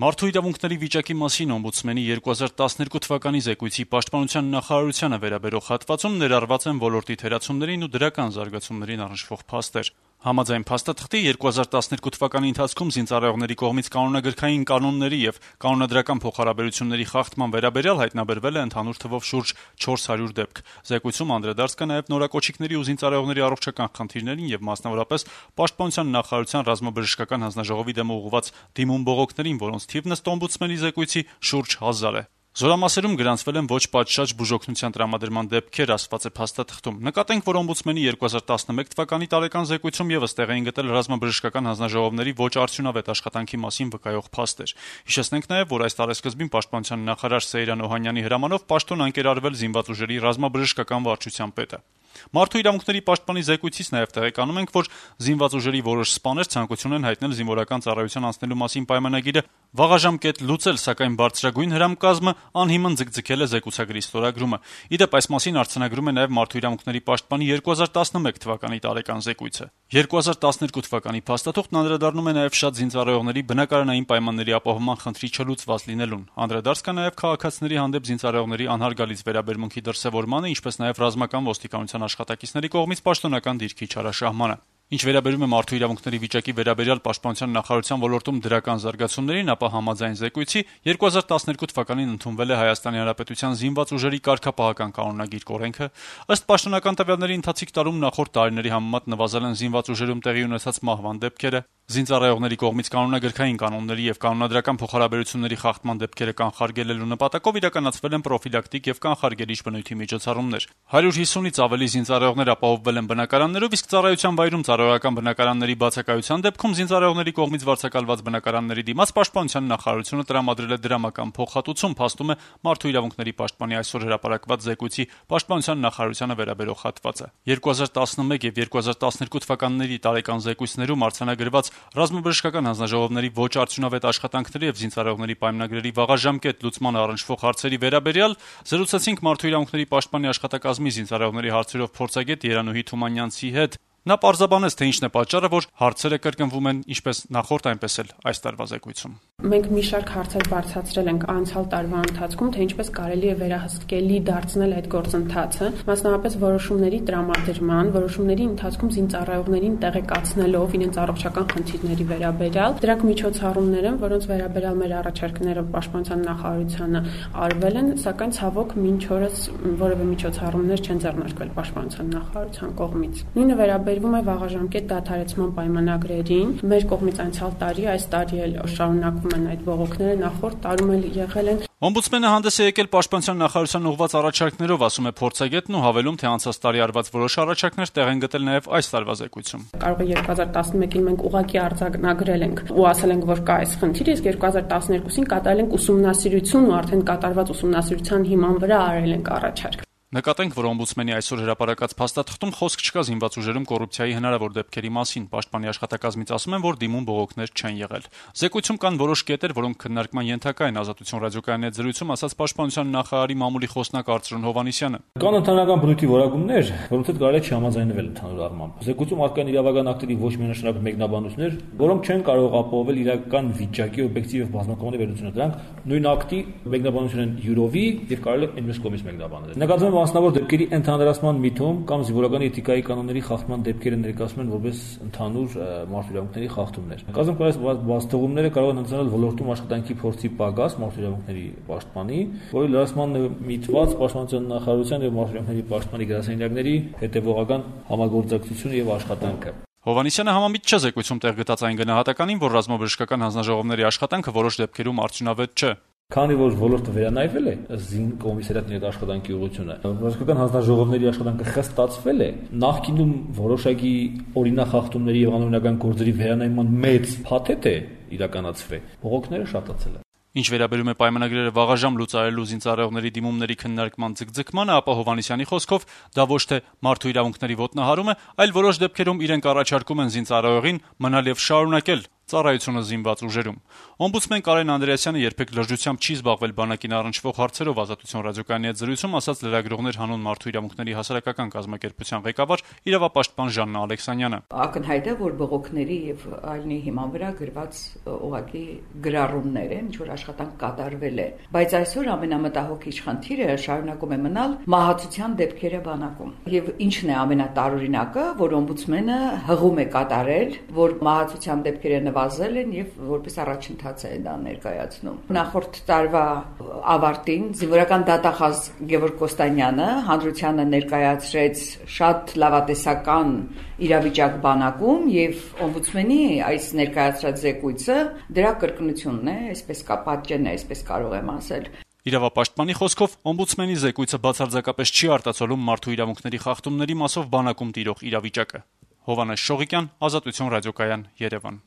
Մարդու իրավունքների վիճակի մասին օմբուդսմենի 2012 թվականի զեկույցի պաշտպանության նախարարությանը վերաբերող հատվածում ներառված են ոլորտի թերացումներին ու դրական զարգացումներին առնչվող փաստեր։ Համաձայն փաստաթղթի 2012 թվականի ընթացքում զինծառայողների կողմից կանոնագրքային կանոնների եւ կանոնադրական փոխհարաբերությունների խախտման վերաբերյալ հայտնաբերվել է ընդհանուր թվով շուրջ 400 դեպք։ Զեկույցում անդրադարձ կա նաեւ նորակոչիկների ու զինծառայողների առողջական խնդիրներին եւ մասնավորապես պաշտպանության նախարարության ռազմաբժշկական հանձնաժողովի դեմ ուղղված դիմում բողոքներին, որոնց թիվն ըստ օմբուդսմենի զեկույցի շուրջ 1000 է։ Զորամասերում գրանցվել են ոչ պատշաճ բուժօգնության տրամադրման դեպքեր, ասված է փաստաթղթում։ Նկատենք, որ օմբուդսմենի 2011 թվականի տարեկան զեկույցում եւս տեղ էին գտել ռազմաբժշկական հանձնաժողովների ոչ արդյունավետ աշխատանքի մասին վկայող փաստեր։ Հիշեցնենք նաեւ, որ այս տարեսկզբին պաշտպանության նախարար Սեյրան Օհանյանի հրամանով պաշտոն անկերարվել զինված ուժերի ռազմաբժշկական վարչության պետը։ Մարդու իրավունքների պաշտպանի զեկույցից նաեւ տեղեկանում ենք, որ զինված ուժերի որոշ սպաներ ցանկություն են հայտնել զինվորական ծառայության անցնելու մասին պայմանագիրը վաղաժամկետ լուծել, սակայն բարձրագույն հրամկազմը անհիմն ձգձգել է զեկուցագրի ստորագրումը։ Իդեպ այս մասին արձանագրում է նաեւ Մարդու իրավունքների պաշտպանի 2011 թվականի տարեկան զեկույցը։ 2012 թվականի փաստաթուղթն անդրադառնում է նաեւ շատ զինծառայողների բնակարանային պայմանների ապահովման խնդրի չլուծված լինելուն։ Անդրադարձ կա նաեւ քաղաքացիների հանդեպ զինծառայողների անհարգալից վերաբերմունքի դրսևորմանը, ինչպես նաեւ ռազմական ոստիկանության աշխատակիցների կողմից պաշտոնական դիրքի չարաշահմանը։ Ինչ վերաբերում է մարդու իրավունքների վիճակի վերաբերյալ պաշտպանության նախարարության ոլորտում դրական զարգացումներին, ապա համաձայն զեկույցի 2012 թվականին ընդունվել է Հայաստանի Հանրապետության զինված ուժերի կարգապահական կանոնագիր կորենքը։ Ըստ պաշտոնական տվյալների ընթացիկ տարում նախորդ տարիների համեմատ նվազել են զինված ուժերում տեղի ունեցած մահվան դեպքերը, զինծառայողների կողմից կանոնագրքային կանոնների եւ կանոնադրական փոխհարաբերությունների խախտման դեպքերը կանխարգելելու նպատակով իրականացվել են պրոֆիլակտիկ եւ կանխարգելիչ բնույթի միջոցառումներ։ 150-ից ավելի զինծառայողներ ապահովվել են բնակարաններով, իսկ ծառայության վայրում ծառայողական բնակարանների բացակայության դեպքում զինծառայողների կողմից վարձակալված բնակարանների դիմաց պաշտպանության նախարարությունը տրամադրել է դրամական փոխհատուցում, փաստում է Մարդու իրավունքների պաշտպանի այսօր հրապարակված զեկույցի պաշտպանության նախարարությանը վերաբերող հատվածը։ 2011 եւ 2012 թվականների տարեկան զեկույցներում արձանագրված ռազմաբժշկական հանձնաժողովների ոչ արդյունավետ աշխատանքների եւ զինծառայողների պայմանագրերի վաղաժամկետ լուծման առնչվող հարցերի վերաբերյալ զրուցեցինք Մարդու իրավունքների պաշտպանի աշխատակազմի զինծառայողների հարցերով փորձագետ Երանուհի Թումանյանցի հետ։ Նա պարզաբանեց, թե ինչն է պատճառը, որ հարցերը կրկնվում են ինչպես նախորդ, այնպես էլ այս տարվա զեկույցում։ Մենք մի շարք հարցեր բարձրացրել ենք անցյալ տարվա ընթացքում, թե ինչպես կարելի է վերահսկելի դարձնել այդ գործընթացը, մասնավորապես որոշումների տրամադրման, որոշումների ընթացքում զինծառայողներին տեղեկացնելով իրենց առողջական խնդիրների վերաբերյալ։ Դրանք միջոցառումներ են, որոնց վերաբերյալ մեր առաջարկները պաշտպանության նախարարությանը արվել են, սակայն ցավոք մինչ օրս որևէ միջոցառումներ չեն ձեռնարկվել պաշտպանության նախարարության կողմից։ Նույնը վերաբերվում է վաղաժամկետ դադարեցման պայմանագրերին։ Մեր կողմից անցյալ տարի, այս տարի էլ շարունակվում են այդ բողոքները, նախորդ տարում էլ եղել են։ Օմբուդսմենը հանդես է եկել պաշտպանության նախարարության ուղղված առաջարկներով, ասում է փորձագետն ու հավելում, թե անցած տարի արված որոշ առաջարկներ տեղ են գտել նաև այս տարվա զեկույցում։ Կարող է 2011-ին մենք ուղղակի արձանագրել ենք ու ասել ենք, որ կա այս խնդիր, իսկ 2012-ին կատարել ենք ուսումնասիրություն ու արդեն կատարված ուսումնասիրության հիման վրա արել ենք առաջարկ։ Նկատենք, որ օմբուդսմենի այսօր հրապարակած փաստաթղթում խոսք չկա զինված ուժերում կոռուպցիայի հնարավոր դեպքերի մասին։ Պաշտպանի աշխատակազմից ասում են, որ դիմում բողոքներ չեն եղել։ Զեկույցում կան որոշ կետեր, որոնք քննարկման ենթակա են, Ազատություն ռադիոկայանի հետ զրույցում ասաց պաշտպանության նախարարի մամուլի խոսնակ Արծրուն Հովհաննիսյանը։ Կան ընդհանրական բնույթի որակումներ, որոնց հետ կարելի է չհամաձայնվել ընդհանուր առմամբ։ Զեկույցում առկա են իրավական ակտերի ոչ միանշանակ մեկնաբանություններ, որոնք չեն կարող ապահովել իրական վիճակի օբյեկտիվ եւ բազմակողմանի վերլուծությունը։ Դրանք նույն ակտի մեկնաբանություն են յուրովի եւ կարելի է այնպես կողմից մեկնաբանել։ Նկատվում է մասնավոր դեպքերի ընդհանրացման միտում կամ զինվորական էթիկայի կանոնների խախտման դեպքերը ներկայացնում են որպես ընդհանուր մարդու իրավունքների խախտումներ։ Կազմակերպված բացթողումները կարող են հնձնել ոլորտում աշխատանքի փորձի պակաս մարդու իրավունքների պաշտպանի, որի լրացման միտված պաշտպանության նախարարության եւ մարդու իրավունքների պաշտպանի գրասենյակների հետեւողական համագործակցությունը եւ աշխատանքը։ Հովհաննիսյանը համամիտ չէ զեկույցում տեղ գտած այն գնահատականին, որ ռազմաբժշկական հանձնաժողովների աշխատանքը որոշ դեպքերում արդյունավետ չէ։ Քանի որ ոլորտը վերանայվել է զին կոմիսարիատների աշխատանքի ուղղությունը, ռազմական հանձնաժողովների աշխատանքը խստացվել է, նախկինում որոշակի օրինախախտումների եւ անօրինական գործերի վերանայման մեծ փաթեթ է իրականացվել, բողոքները շատացել են։ Ինչ վերաբերում է պայմանագրերը վաղաժամ լուծարելու զինծառայողների դիմումների քննարկման ձգձգմանը, ապա Հովհաննիսյանի խոսքով դա ոչ թե մարդու իրավունքների ոտնահարում է, այլ որոշ դեպքերում իրենք առաջարկում են զինծառայողին մնալ եւ շարունակել ծառայությունը զինված ուժերում։ Օմբուդսմեն Կարեն Անդրեասյանը երբեք լրջությամբ չի զբաղվել բանակին առնչվող հարցերով Ազատություն ռադիոկայանի հետ զրույցում, ասաց լրագրողներ հանուն մարդու իրավունքների հասարակական կազմակերպության ղեկավար իրավապաշտպան Ժաննա Ալեքսանյանը։ Ակնհայտ է, որ բողոքների եւ այլնի հիման վրա գրված ուղղակի գրառումներ են, ինչ որ աշխատանք կատարվել է, բայց այսօր ամենամտահոգիչ խնդիրը շարունակում է մնալ մահացության դեպքերը բանակում։ Եվ ինչն է ամենատարօրինակը, որ օմբուդսմենը հղում է կատարել, որ մահացության դեպքերը նվազել են եւ որպես առաջընթաց է դա ներկայացնում։ Նախորդ տարվա ավարտին զինվորական դատախազ Գևորգ Կոստանյանը հանրությանը ներկայացրեց շատ լավատեսական իրավիճակ բանակում եւ օմբուդսմենի այս ներկայացրած զեկույցը դրա կրկնությունն է, այսպես կա պատճենն է, այսպես կարող եմ ասել։ Իրավապաշտպանի խոսքով օմբուդսմենի զեկույցը բացարձակապես չի արտացոլում մարդու իրավունքների խախտումների մասով բանակում տիրող իրավիճակը։ Հովհաննես Շողիկյան, Ազատություն ռադիոկայան, Երևան։